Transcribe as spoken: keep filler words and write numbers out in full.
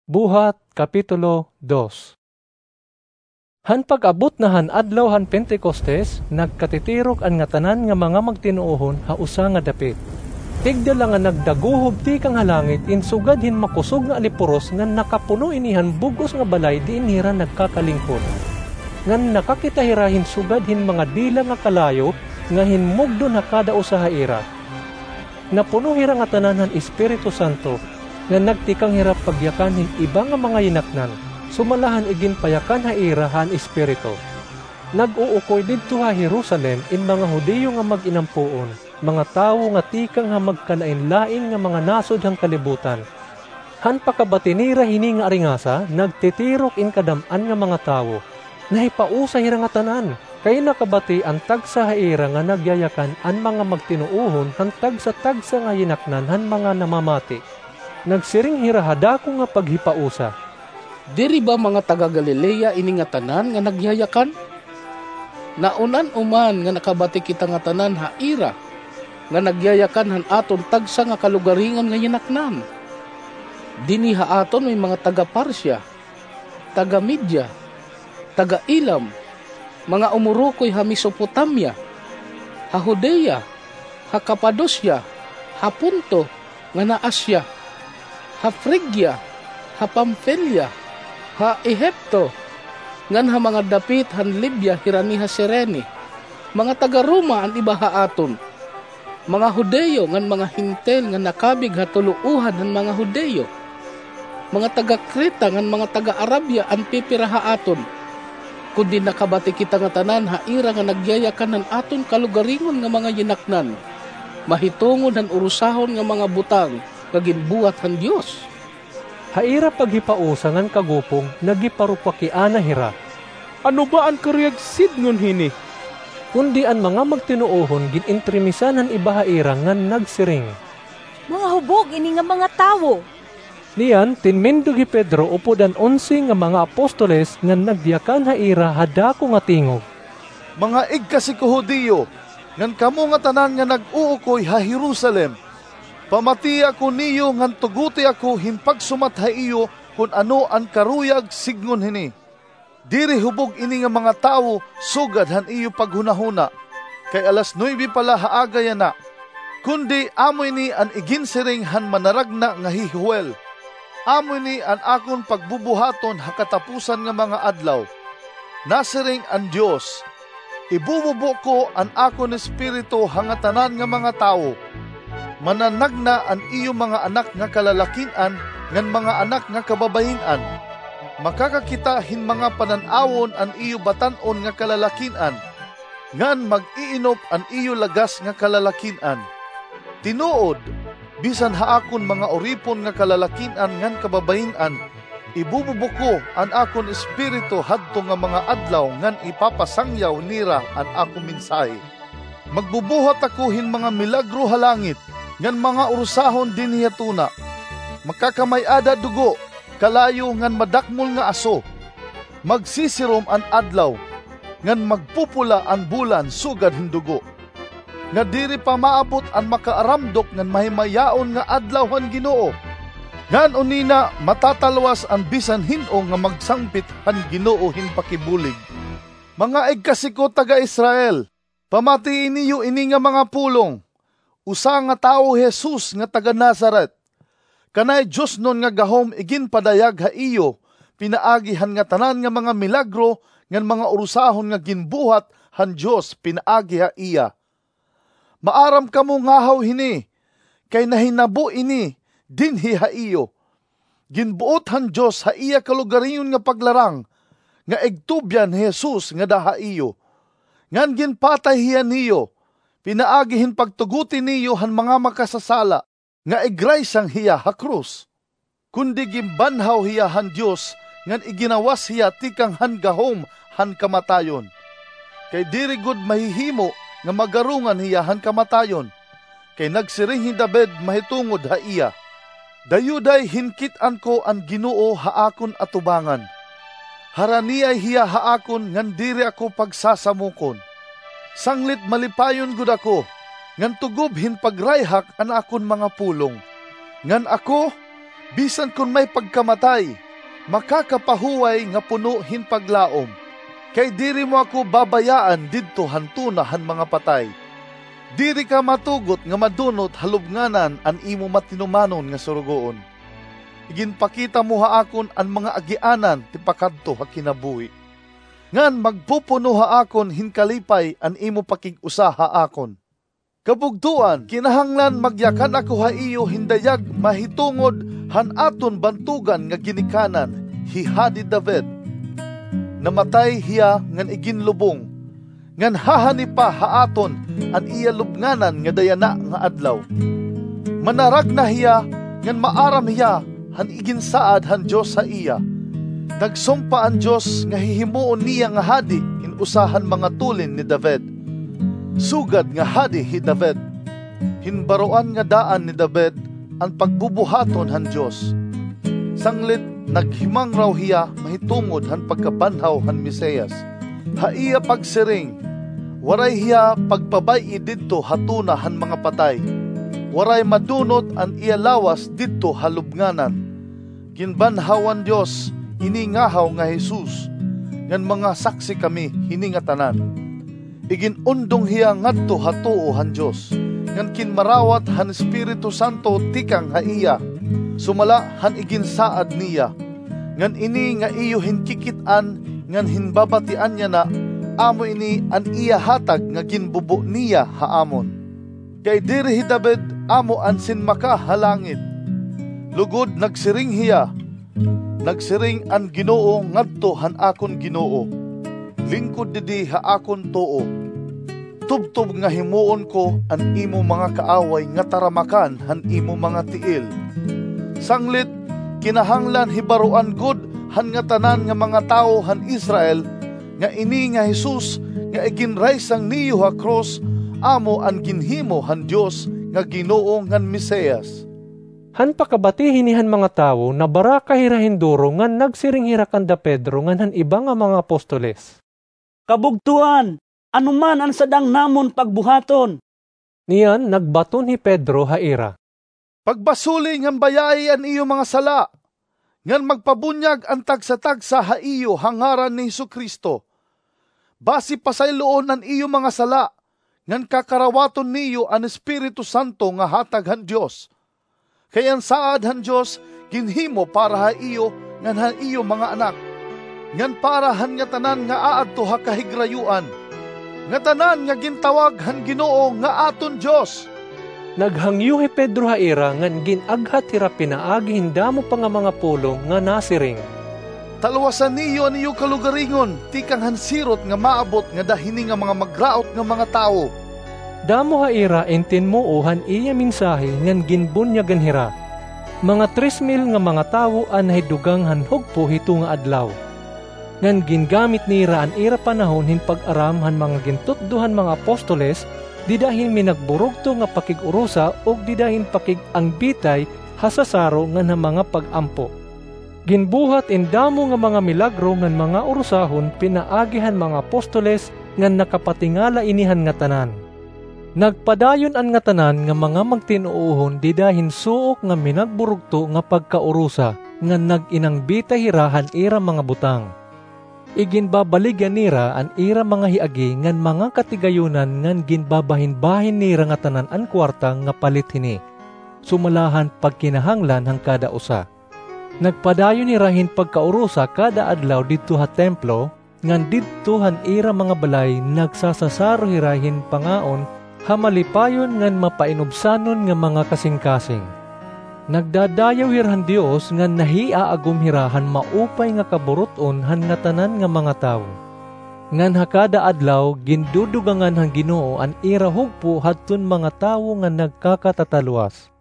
Buhat, Kapitulo dos. Han pag-abot na han adlaw han Pentecostes, nagkatitirok an ngatanan nga mga magtinuohon ha usa nga dapit. Tigda la nga nagdaguhob tikang ha langit in sugad hin makusog nga alipuros ngan nakapuno ini han bug-os nga balay diin hira nagkakalingkod. Ngan nakakita hira hin sugad hin mga dila nga kalayo nga hinmugdon ha kada usa ha ira. Napuno hira ngatanan han Espiritu Santo, ngan nagtikang hira pagyakan hin iba nga mga yinaknan, sumala han iginpayakan ha ira han Espiritu. Nag-uukoy didto ha Jerusalem in mga Judio nga mag-inampoon, mga tawo nga tikang ha magkalainlain nga mga nasod han kalibutan. Han pakabati nira hini nga aringasa, nagtitirok in kadam-an nga mga tawo. Nahipausa hira ngatanan, kay nakabati an tagsa ha ira nga nagyayakan an mga magtinuohon han tagsa-tagsa nga yinaknan han mga namamati. Nagsiring hira ha dako nga paghipausa, "Diri ba mga taga-Galilea ini ngatanan nga nagyayakan? Naun-an uman nga nakabati kita ngatanan ha ira nga nagyayakan han aton tagsa nga kalugaringon nga yinaknan. Dinhi ha aton may mga taga-Partia, taga-Media, taga-Elam, mga umurukoy ha Mesopotamia, ha Judea, ha Capadocia, ha Ponto, ngan ha Asia, ha Frigia, ha Pamfilia, ha Ehipto, ngan ha mga dapit han Libya hirani ha Cirene. Mga taga-Roma an iba ha aton, mga Judio ngan mga Hentil nga nakabig ha tulouhan han mga Judio. Mga taga-Creta ngan mga taga-Arabia an pipira ha aton. Kundi nakabati kita ngatanan ha ira nga nagyayakan han aton kalugaringon nga mga yinaknan, mahitungod han urusahon nga mga butang nga ginbuhat han Dios." Ha ira paghipausa ngan kagupong, nagiparupakiana hira, "Ano ba an karuyag sidngon hini?" Kundi an mga magtinuohon gin-entremisan han iba ha ira ngan nagsiring, "Mga hubog ini nga mga tawo." Niyan, tinmindog hi Pedro upod an onse nga mga apostoles ngan nagyakan ha ira ha dako nga tingog, "Mga igkasi ko Judio, ngan kamo ngatanan nga nag-uukoy ha Jerusalem, pamatii ako niyo ngan tuguti ako hin pagsumat ha iyo kon ano an karuyag sidngon hini. Diri hubog ini nga mga tawo sugad han iyo paghunahuna, kay alas nuebe pa la ha aga yana. Kundi amo ini an iginsiring han manaragna nga hi Joel. Amo ini an akon pagbubuhaton ha katapusan nga mga adlaw. Nasiring an Dios, 'Ibububo ko an akon Espiritu ha ngatanan nga mga tawo. Mananagna an iyo mga anak nga kalalakin-an ngan mga anak nga kababayin-an. Makakakita hin mga panan-awon an iyo batan-on nga kalalakin-an, ngan mag-iinop an iyo lagas nga kalalakin-an. Tinuod, bisan ha akon mga uripon nga kalalakin-an ngan kababayin-an, ibububo ko an akon Espiritu hadto nga mga adlaw ngan ipapasangyaw nira an akon mensahe. Magbubuhat ako hin mga milagro ha langit ngan mga urusahon dinhi ha tuna. Makakamay-ada dugo, kalayo ngan madakmol nga aso. Magsisirom an adlaw, ngan magpupula an bulan sugad hin dugo, nga diri pa maabot an makaaramdok ngan mahimayaon nga adlaw han Ginoo. Ngan unina matatalwas an bisan hin-o nga magsangpit han Ginoo hin pakibulig.' Mga igkasi ko taga-Israel, pamatii niyo ini nga mga pulong. Usa nga tawo hi Jesus nga taga-Nazaret. Kanay diosnon nga gahom iginpadayag ha iyo pinaagi han ngatanan nga mga milagro ngan mga urusahon nga ginbuhat han Dios pinaagi ha iya. Maaram kamo ngahaw hini, kay nahinabo ini dinhi ha iyo. Ginbuot han Dios ha iya kalugaringon nga paglarang nga igtubyan hi Jesus ngada ha iyo. Ngan ginpatay hiya niyo pinaagi hin pagtuguti niyo han mga makasasala, nga igraysang hiya ha krus. Kundi ginbanhaw hiya han Dios ngan iginawas hiya tikang han gahom han kamatayon. Kay diri gud mahihimo nga magarongan hiya han kamatayon, kay nagsiring hi David mahitungod ha iya, 'Dayuday hinkit-an ko an Ginoo ha akon atubangan. Haraniay hiya ha akon ngan diri ako pagsasamokon. Sanglit malipayon gud ako, ngan tugob hin pagrayhak an akon mga pulong. Ngan ako, Bisan kon may pagkamatay, makakapahuway nga puno hin paglaom. Kay diri mo ako babayaan didto han tuna han mga patay. Diri ka matugot nga madunot ha lubnganan an imo matinumanon nga surugoon. Iginpakita mo ha akon an mga agianan ti pakadto ha kinabuhi, ngan magpupuno ha akon hin kalipay an imo pakig-usa ha akon. Kabugtoan, kinahanglan magyakan ako ha iyo hin dayag mahitungod han aton bantogan nga ginikanan, hi Hadi David. Namatay hiya ngan iginlubong, ngan hahani pa ha aton an iya lubnganan ngada yana nga adlaw. Manaragna hiya ngan maaram hiya han iginsaad han Dios ha iya. Nagsumpa an Dios nga hihimuon niya nga hadi hin usa han mga tulin ni David. Sugad nga hadi hi David, hin baroan nga daan ni David an pagbubuhaton han Dios. Sanglit naghimangraw hiya mahitungod han pagkabanhaw han Mesias, ha iya pagsiring, waray hiya pagpabay-i didto ha tuna han mga patay. Waray madunot an iya lawas didto ha lubnganan. Ginbanhaw han Dios ini ngahaw nga Jesus, ngan mga saksi kami hini ngatanan. Igin-undong hiya ngadto ha tuo han Dios, ngan kinmarawat han Espiritu Santo tikang ha iya, sumala han iginsaad niya. Ngan ini nga iyo hinkikit-an ngan hinbabatian yana, amo ini an iya hatag nga ginbubo niya ha amon. Kay diri hi David amo an sinmaka ha langit. Lugod nagsiring hiya, nagsiring an Ginoo ngadto han akon Ginoo, "Lingkod didi ha akon tuo. Tubtob nga himuon ko an imo mga kaaway nga taramakan han imo mga tiil." Sanglit, kinahanglan hibaroan gud han ngatanan nga mga tawo han Israel nga ini nga Jesus nga iginraysang niyo ha krus amo an ginhimo han Dios nga Ginoo ngan Mesias. Han pakabati hini han mga tawo, nabaraka hira hin duro ngan nagsiring hira kanda Pedro ngan han iba nga mga apostoles, "Kabugtoan, ano man an sadang namon pagbuhaton?" Niyan nagbaton hi Pedro ha ira, "Pagbasuli ngan bayai an iyo mga sala, ngan magpabunyag an tagsa-tagsa ha iyo ha ngaran ni Jesu-Cristo. Basi pasayloon an iyo mga sala, ngan kakarawaton niyo an Espiritu Santo nga hatag han Dios. Kay an saad han Dios ginhimo para ha iyo ngan ha iyo mga anak, ngan para han ngatanan nga aadto ha kahigrayoan, ngatanan nga gintawag han Ginoo nga aton Dios." Naghangyo hi Pedro ha ira ngan gin-aghat hira pinaagi hin damo pa nga mga pulong nga nasiring, "Talwasa niyo an iyo kalugaringon tikang han sirot nga maabot ngada hini nga mga magraot nga mga tawo." Damo ha ira in tinmuo han iya mensahe ngan ginbunyagan hira. Mga tres mil nga mga tawo an nahidugang han hugpo hito nga adlaw. Ngan gingamit nira an ira panahon hin pag-aram han mga gintutdo han mga apostoles, dida hin minagburugto nga pakig-urusa ug dida hin pakig-angbitay ha sasaro ngan ha mga pag-ampo. Ginbuhat in damo nga mga milagro ngan mga urusahon pinaagi han mga apostoles ngan nakapatingala ini han ngatanan. Nagpadayon an ngatanan nga mga magtin-uohon dida hin suok nga minagburugto nga pagkaurusa ngan nag-inangbitay hira han ira mga butang. Iginbabaligya nira an ira mga hiagi ngan mga katigayonan ngan ginbabahinbahin nira ngatanan an kuwarta nga palit hini, sumala han pagkinahanglan han kada usa. Nagpadayon hira hin pagkaurusa kada adlaw didto ha templo, ngan didto han ira mga balay nagsasasaro hira hin pangaon ha malipayon ngan mapainubsanon nga mga kasingkasing. Nagdadayaw hira han Dios ngan nahiaagom hira han maupay nga kaburut-on han ngatanan nga mga tawo. Ngan ha kada adlaw gindudugangan han Ginoo an ira hugpo hadton mga tawo nga nagkakatatalwas.